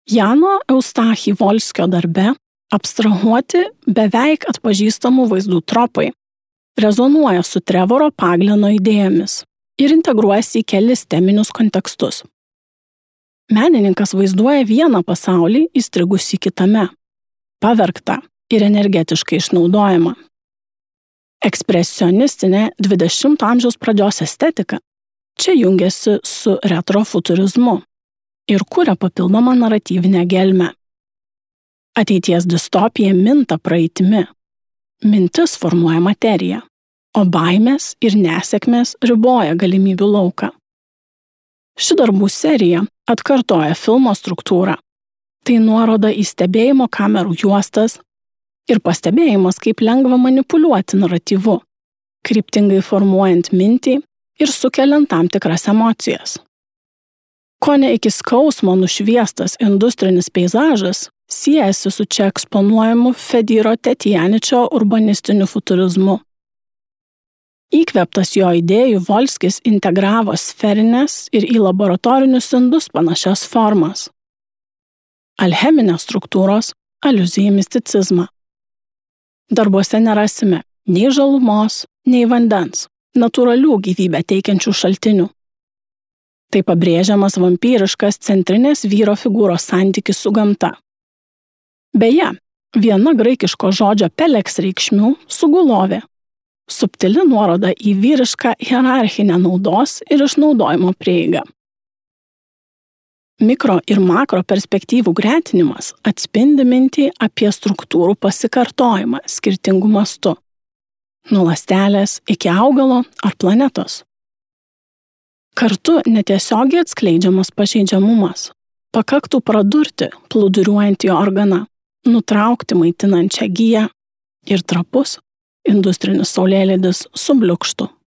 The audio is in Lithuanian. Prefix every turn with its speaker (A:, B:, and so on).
A: Jano Eustachy-Volskio darbe abstrahuoti beveik atpažįstamų vaizdų tropai rezonuoja su Trevoro Paglino idėjomis ir integruojasi į kelis teminius kontekstus. Menininkas vaizduoja vieną pasaulį įstrigusį kitame, pavergtą ir energetiškai išnaudojamą. Ekspresionistinė 20 amžiaus pradžios estetika čia jungiasi su retrofuturizmu ir kuria papildomą naratyvinę gelmę. Ateities distopija minta praeitimi. Mintis formuoja materiją, o baimės ir nesėkmės riboja galimybių lauką. Ši darbų serija atkartoja filmo struktūrą. Tai nuoroda į stebėjimo kamerų juostas ir pastebėjimas, kaip lengva manipuliuoti naratyvu, kryptingai formuojant mintį ir sukeliant tam tikras emocijas. Kone iki skausmo nušviestas industrinis peizažas siejasi su čia eksponuojamu Fediro Tetjaničio urbanistiniu futurizmu. Įkvėptas jo idėjų Volskis integravo sferinės ir į laboratorinius indus panašias formas. Alcheminės struktūros aliuzija į misticizmą. Darbuose nerasime nei žalumos, nei vandens, natūralių gyvybę teikiančių šaltinių. Tai pabrėžiamas vampyriškas centrinės vyro figūros santykis su gamta. Beje, viena graikiško žodžio peleks reikšmių sugulovė, subtili nuoroda į vyrišką hierarchinę naudos ir išnaudojimo prieigą. Mikro ir makro perspektyvų gretinimas atspindi mintį apie struktūrų pasikartojimą skirtingų mastų, nuo ląstelės iki augalo ar planetos. Kartu netiesiogiai atskleidžiamas pažeidžiamumas. Pakaktų pradurti plūduriuojantį organą, nutraukti maitinančią giją ir trapus industrinis saulėlydis subliukštų.